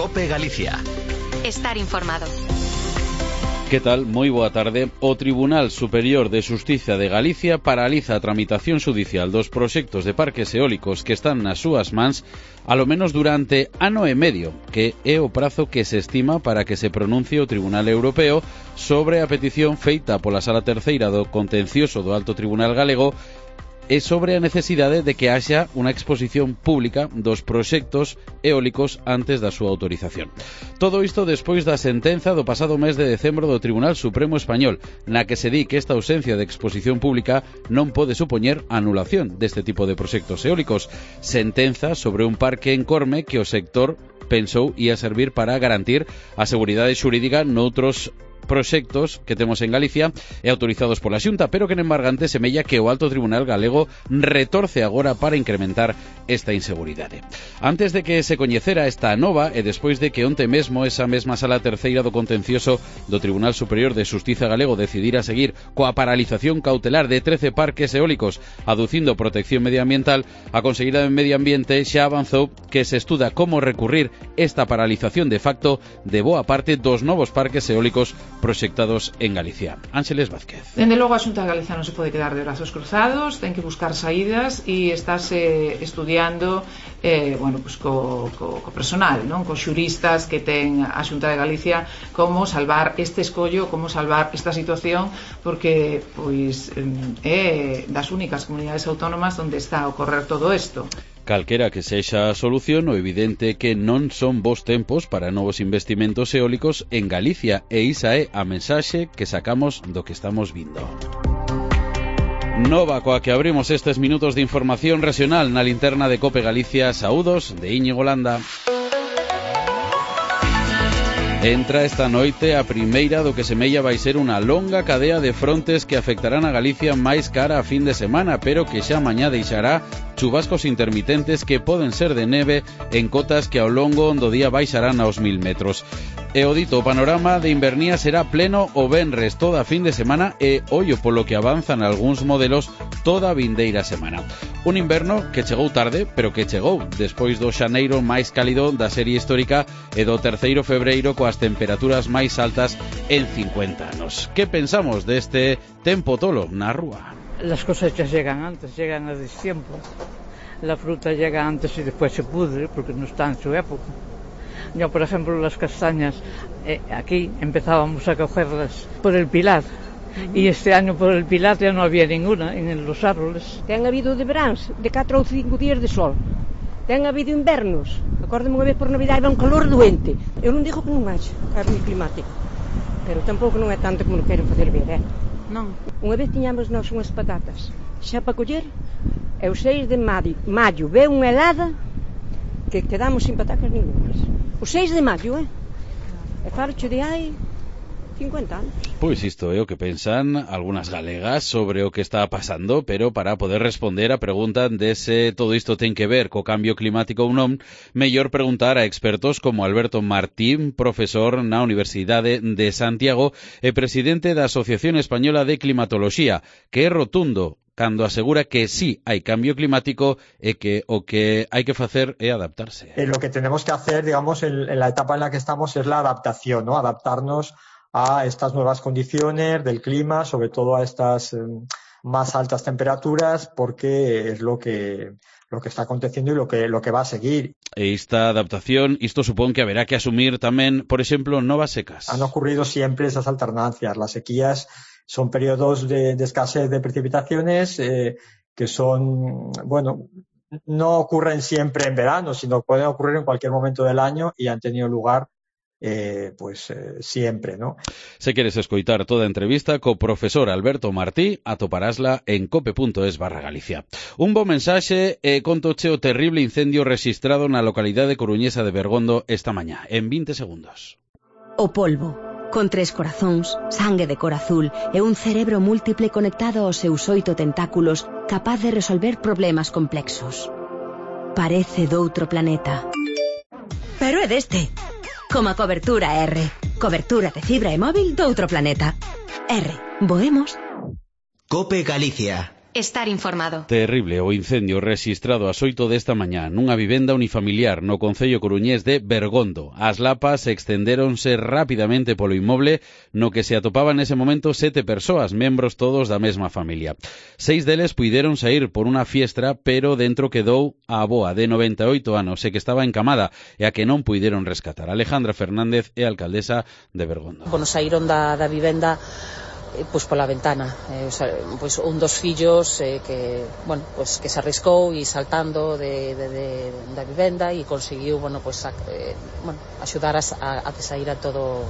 COPE Galicia. Estar informado. Que tal? Moi boa tarde. O Tribunal Superior de Xustiza de Galicia paraliza a tramitación xudicial dos proxectos de parques eólicos que están nas súas mans alo menos durante ano e medio, que é o prazo que se estima para que se pronuncie o Tribunal Europeo sobre a petición feita pola Sala Terceira do Contencioso do Alto Tribunal Galego e sobre a necesidade de que haxa unha exposición pública dos proxectos eólicos antes da súa autorización. Todo isto despois da sentenza do pasado mes de decembro do Tribunal Supremo Español, na que se di que esta ausencia de exposición pública non pode supoñer anulación deste tipo de proxectos eólicos. Sentenza sobre un parque en Corme que o sector pensou ia servir para garantir a seguridade xurídica noutros proxectos que temos en Galicia e autorizados pola Xunta, pero que en embargante semella que o Alto Tribunal Galego retorce agora para incrementar esta inseguridade. Antes de que se coñecera esta nova e despois de que onte mesmo esa mesma Sala Terceira do Contencioso do Tribunal Superior de Xustiza Galego decidira seguir coa paralización cautelar de 13 parques eólicos aducindo protección medioambiental, a Conselleira de Medio Ambiente xa avanzou que se estuda como recurrir esta paralización de facto de boa parte dos novos parques eólicos proxectados en Galicia. Ángeles Vázquez. Dende logo a Xunta de Galicia non se pode quedar de brazos cruzados, ten que buscar saídas e estáse estudiando co personal, non? Cos xuristas que ten a Xunta de Galicia como salvar este escollo, como salvar esta situación, porque é das únicas comunidades autónomas onde está a ocorrer todo isto. Calquera que sexa a solución, o evidente que non son bons tempos para novos investimentos eólicos en Galicia, e isa é a mensaxe que sacamos do que estamos vindo. Nova coa que abrimos estes minutos de información regional na linterna de COPE Galicia. Saúdos de Íñigo Landa. Entra esta noite a primeira do que semella vai ser unha longa cadea de frontes que afectarán a Galicia máis cara a fin de semana, pero que xa mañá deixará chubascos intermitentes que poden ser de neve en cotas que ao longo do día baixarán aos 1000 metros. E o dito, o panorama de invernía será pleno o venres toda a fin de semana e ollo polo que avanzan algúns modelos toda a vindeira semana. Un inverno que chegou tarde, pero que chegou despois do xaneiro máis cálido da serie histórica e do 3º febreiro coas temperaturas máis altas en 50 anos. Que pensamos deste tempo tolo na rúa? Las cosechas llegan antes, llegan a destiempo. La fruta llega antes y después se pudre porque no está en su época. Yo, por ejemplo, las castañas, aquí empezábamos a cogerlas por el Pilar. Y este año por el Pilar ya no había ninguna en los árboles. Ten habido de veráns de 4 ou 5 días de sol. Ten habido invernos. Acórdame unha vez por Navidade iba un calor doente. Eu non digo que non haxa cambio climático, pero tampouco non é tanto como lo queren facer ver, Non. Unha vez tiñamos nós unhas patatas xa para coller e o 6 de maio ve unha helada que quedamos sin patacas ningunas. O 6 de maio, E farcho de hai 50 anos. Pois isto é o que pensan algunhas galegas sobre o que está pasando, pero para poder responder a pregunta de se todo isto ten que ver co cambio climático ou non, mellor preguntar a expertos como Alberto Martín, profesor na Universidade de Santiago e presidente da Asociación Española de Climatoloxía, que é rotundo cando asegura que sí hai cambio climático e que o que hai que facer é adaptarse. Lo que tenemos que hacer, digamos, en la etapa en la que estamos es la adaptación, ¿no? Adaptarnos a estas nuevas condiciones del clima, sobre todo a estas más altas temperaturas, porque es lo que está aconteciendo y lo que va a seguir. E esta adaptación, isto supón que haberá que asumir tamén, por exemplo, novas secas. Han ocurrido siempre esas alternancias. Las sequías son periodos de escasez de precipitaciones que son, no ocurren siempre en verano, sino pueden ocurrir en cualquier momento del año y han tenido lugar siempre, ¿no? Se queres escoitar toda a entrevista co profesor Alberto Martí, atoparásla en cope.es/Galicia. Un bo mensaxe e contoche o terrible incendio rexistrado na localidade coruñesa de Bergondo esta mañá, en 20 segundos. O polvo, con 3 corazóns, sangue de cor azul e un cerebro múltiple conectado aos seus 8 tentáculos, capaz de resolver problemas complexos. Parece doutro planeta. Pero é deste. Como a cobertura R. Cobertura de fibra e móvil doutro planeta. R. Voemos. COPE Galicia. Estar informado. Terrible o incendio rexistrado ás 8 desta mañá nunha vivenda unifamiliar no concello coruñés de Bergondo. As lapas extendéronse rapidamente polo inmoble no que se atopaban nese momento 7 persoas, membros todos da mesma familia. 6 deles puideron saír por unha fiestra, pero dentro quedou a avoa de 98 anos e que estaba encamada e a que non puideron rescatar. Alejandra Fernández é alcaldesa de Bergondo. Bueno, saíron da vivenda pois pola ventana, pois un dos fillos que se arriscou e saltando da vivenda e conseguiu axudar a que saíra todo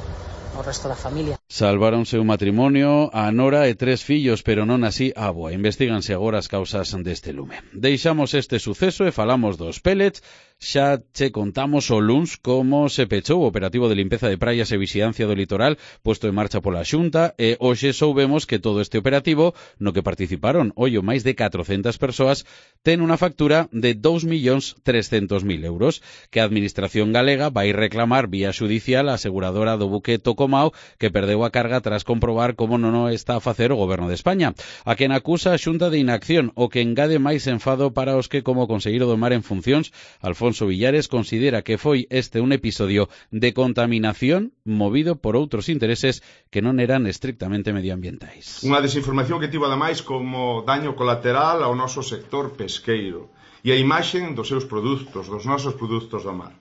o resto da familia. Salváronse un matrimonio, a nora e 3 fillos, pero non así a avoa. Investíganse agora as causas deste lume. Deixamos este suceso e falamos dos pellets. Xa che contamos o luns como se pechou o operativo de limpeza de praias e vixiancia do litoral posto en marcha pola Xunta e hoxe soubemos que todo este operativo, no que participaron máis de 400 persoas, ten unha factura de 2.300.000 euros que a Administración galega vai reclamar vía xudicial a aseguradora do buque Tocomao que perdeu a carga tras comprobar como non o está a facer o Goberno de España. A quen acusa a Xunta de inacción, o que engade máis enfado para os que, como conseguido do mar en funcións, Alfonso Villares considera que foi este un episodio de contaminación movido por outros intereses que non eran estrictamente medioambientais. Unha desinformación que tivo ademais como daño colateral ao noso sector pesqueiro e a imaxen dos seus produtos, dos nosos produtos do mar.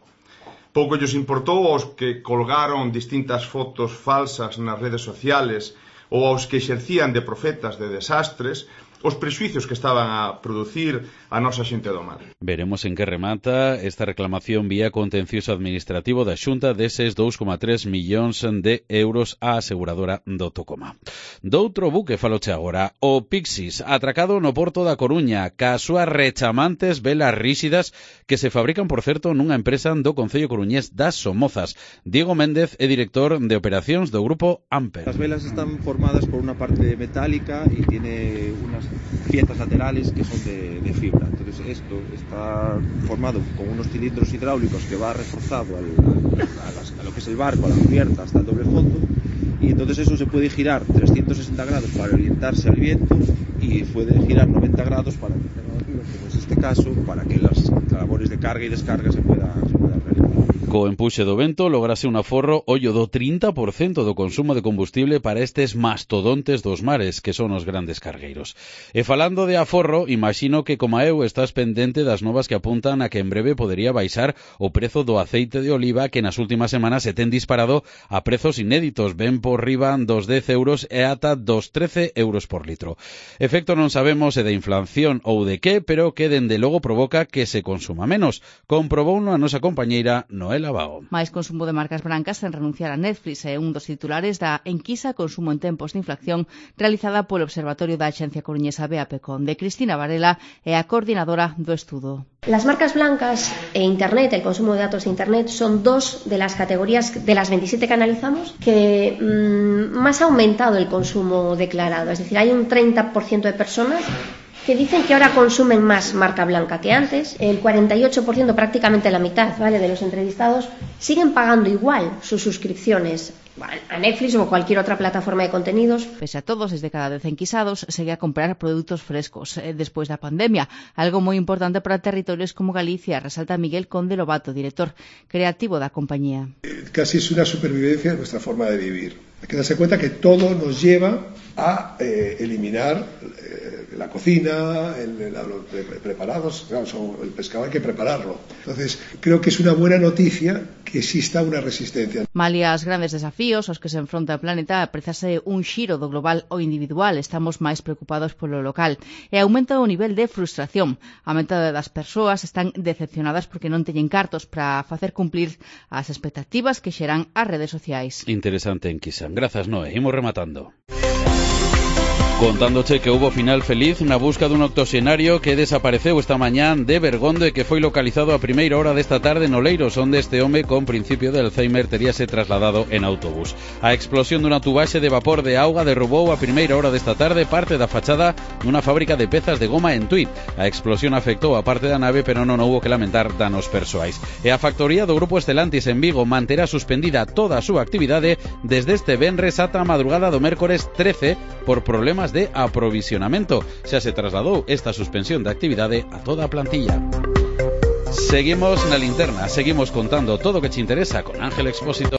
Pouco lles importou aos que colgaron distintas fotos falsas nas redes sociales ou aos que exercían de profetas de desastres os prexuicios que estaban a producir a nosa xente do mar. Veremos en que remata esta reclamación vía contencioso administrativo da Xunta deses 2,3 millóns de euros á aseguradora do Tocoma. Doutro buque faloche agora, o Pixis, atracado no porto da Coruña, ca súas rechamantes velas ríxidas que se fabrican, por certo, nunha empresa do concello coruñés das Somozas. Diego Méndez é director de operacións do grupo Amper. Las velas están formadas por una parte metálica y tiene unas piezas laterales que son de fibra. Entonces esto está formado con unos cilindros hidráulicos que va reforzado a lo que es el barco, a la cubierta hasta el doble fondo, y entonces eso se puede girar 360 grados para orientarse al viento y puede girar 90 grados para que como es este caso, para que las labores de carga y descarga se puedan realizar. Co empuxe do vento lograse un aforro do 30% do consumo de combustible para estes mastodontes dos mares, que son os grandes cargueiros. E falando de aforro, imagino que como eu estás pendente das novas que apuntan a que en breve podería baixar o prezo do aceite de oliva que nas últimas semanas se ten disparado a prezos inéditos, ben por riba dos 10 euros e ata dos 13 euros por litro. Efecto non sabemos se de inflación ou de que, pero que dende logo provoca que se consuma menos. Comprobouno a nosa compañeira Noel Abao. Máis consumo de marcas brancas sen renunciar a Netflix é un dos titulares da enquisa Consumo en tempos de inflación realizada polo Observatorio da Axencia Coruñesa BAPECON. De Cristina Varela é a coordinadora do estudo. Las marcas blancas e Internet, el consumo de datos de Internet, son dos de las categorías de las 27 que analizamos que más ha aumentado el consumo declarado. Es decir, hay un 30% de personas que dicen que ahora consumen más marca blanca que antes. El 48%, prácticamente la mitad, ¿vale?, de los entrevistados siguen pagando igual sus suscripciones a Netflix ou cualquier outra plataforma de contenidos. Pese a todos, desde cada 10 enquisados segue a comprar produtos frescos despois da pandemia, algo moi importante para territorios como Galicia, resalta Miguel Conde Lobato, director creativo da compañía. Casi es una supervivencia de nuestra forma de vivir. Hay que darse cuenta que todo nos lleva a eliminar la cocina, los preparados, claro, el pescado hay que prepararlo. Entonces, creo que es una buena noticia que exista una resistencia. Malia as grandes desafíos aos que se enfronta o planeta, aprezase un xiro do global ao individual, estamos máis preocupados polo local. E aumenta o nivel de frustración. A metade das persoas están decepcionadas porque non teñen cartos para facer cumplir as expectativas que xeran as redes sociais. Interesante enquisa. Grazas, Noé. Imos rematando. Contándoche que hubo final feliz na busca dun octoxenario que desapareceu esta mañán de Bergondo e que foi localizado a primeira hora desta tarde en Oleiros, onde este home con principio de Alzheimer teríase trasladado en autobús. A explosión dunha tubaxe de vapor de auga derrubou a primeira hora desta tarde parte da fachada dunha fábrica de pezas de goma en Tuit. A explosión afectou a parte da nave, pero non houbo que lamentar danos persoais. E a factoría do Grupo Estelantis en Vigo manterá suspendida toda a súa actividade desde este venres ata a madrugada do mércores 13 por problemas cadeas de aprovisionamento. Xa se trasladou esta suspensión de actividade a toda a plantilla. Seguimos na linterna, seguimos contando todo o que te interesa con Ángel Expósito.